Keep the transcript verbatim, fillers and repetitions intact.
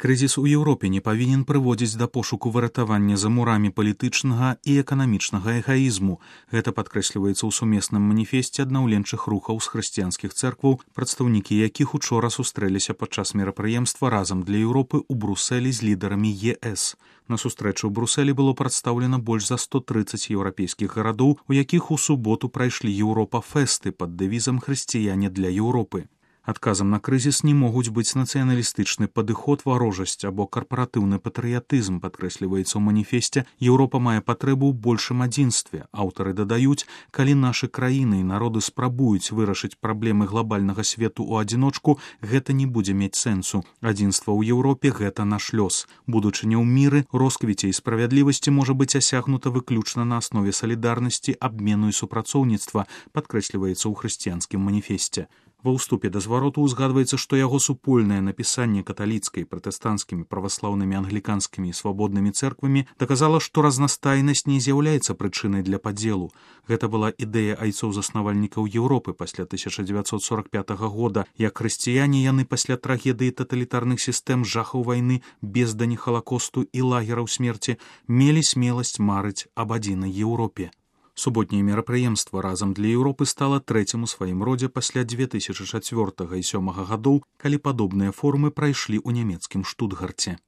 Крызіс у Еўропе не павінен прыводзіць да пошуку выратавання за мурамі палітычнага і эканамічнага эгаізму. Гэта падкрэсліваецца ў сумесным маніфесце аднаўленчых рухаў з хрысціянскіх цэркваў, прадстаўнікі якіх учора сустрэліся падчас мерапрыемства разам для Еўропы ў Брусэлі з лідарамі е эс. На сустрэчу ў Брусэлі было прадстаўлена больш за сто трыццаць еўрапейскіх гарадоў, у якіх у суботу прайшлі Еўропа-фэсты пад дэвізам «Хрысціяне для Еўропы». Адказам на крызіс не могуць быць нацыяналістычны падыход, варожасць або карпаратыўны патрыятызм, падкрэсліваецца ў маніфесце. Еўропа мае патрэбу ў большым адзінстве. Аўтары дадаюць, калі нашы краіны і народы спрабуюць вырашыць праблемы глобальнага свету ў адзіночку, гэта не будзе мець сэнсу. Адзінства ў Еўропе – гэта наш лёс. Будучыня ў міры, росквіце і справядлівасці можа быць асягнута выключна на аснове салідарнасці, абмену і супрацоўніцтва, падкрэсліваецца ў хрысціянскім маніфесце. Ва ўступе да звароту ўзгадваецца, што яго супольнае напісанне каталіцкай, пратэстанцкімі, праваслаўнымі, англіканскімі і свабоднымі цэрквамі даказала, што разнастайнасць не з'яўляецца прычынай для падзелу. Гэта была ідэя айцоў-заснавальнікаў Еўропы пасля тысяча дзевяцьсот сорак пятага года. Як хрысціяне яны пасля трагедыі таталітарных сістэм, жахаў вайны, бездані халакосту і лагераў смерці мелі смеласць марыць аб адзінай Еўропе. Суботняе мерапрыемства разам для Еўропы стала трэцім у сваім родзе пасля дзве тысячы чацвёртага і сёмага гадоў, калі падобныя форумы прайшлі ў нямецкім Штутгарце.